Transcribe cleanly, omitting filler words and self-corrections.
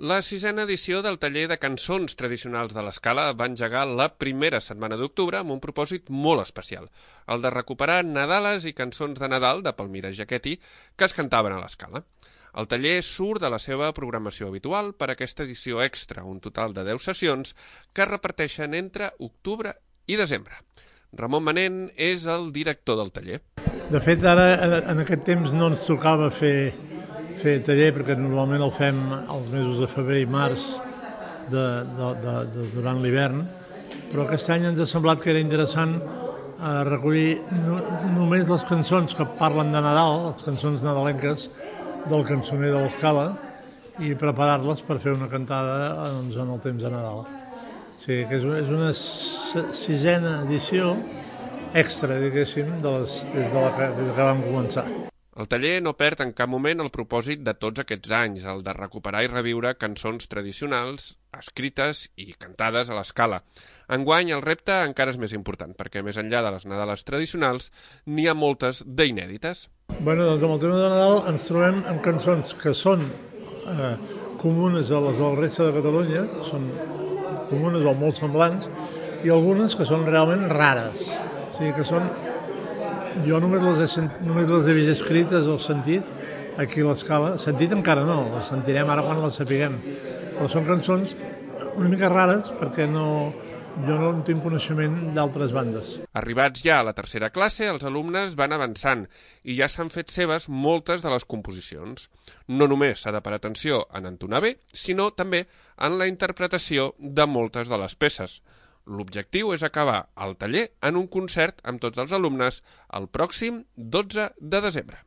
La sisena edició del taller de cançons tradicionals de l'Escala va engegar la primera setmana d'octubre amb un propòsit molt especial, el de recuperar nadales i cançons de Nadal de Palmira Jaquetti que es cantaven a l'Escala. El taller surt de la seva programació habitual per aquesta edició extra, un total de 10 sessions que es reparteixen entre octubre i desembre. Ramon Manent és el director del taller. De fet, ara en aquest temps no ens tocava fer taller perquè normalment el fem als mesos de febrer i març durant l'hivern, però aquest any ens ha semblat que era interessant recollir només les cançons que parlen de Nadal, les cançons nadalenques del cançoner de l'Escala, i preparar-les per fer una cantada en el temps de Nadal. O sigui que és una sisena edició extra, diguéssim, des que vam començar. El taller no perd en cap moment el propòsit de tots aquests anys, el de recuperar i reviure cançons tradicionals, escrites i cantades a l'Escala. Enguany el repte encara és més important, perquè més enllà de les Nadales tradicionals n'hi ha moltes d'inèdites. Doncs amb el tema de Nadal ens trobem amb cançons que són comunes a les de la resta de Catalunya, són comunes o molt semblants, i algunes que són realment rares. O sigui que són... Jo només les he vist escrites o sentit aquí a l'Escala. Sentit encara no, les sentirem ara quan les sapiguem. Però són cançons una mica rares perquè jo no en tinc coneixement d'altres bandes. Arribats ja a la tercera classe, els alumnes van avançant i ja s'han fet seves moltes de les composicions. No només s'ha de parar atenció en entonar bé, sinó també en la interpretació de moltes de les peces. L'objectiu és acabar el taller en un concert amb tots els alumnes el pròxim 12 de desembre.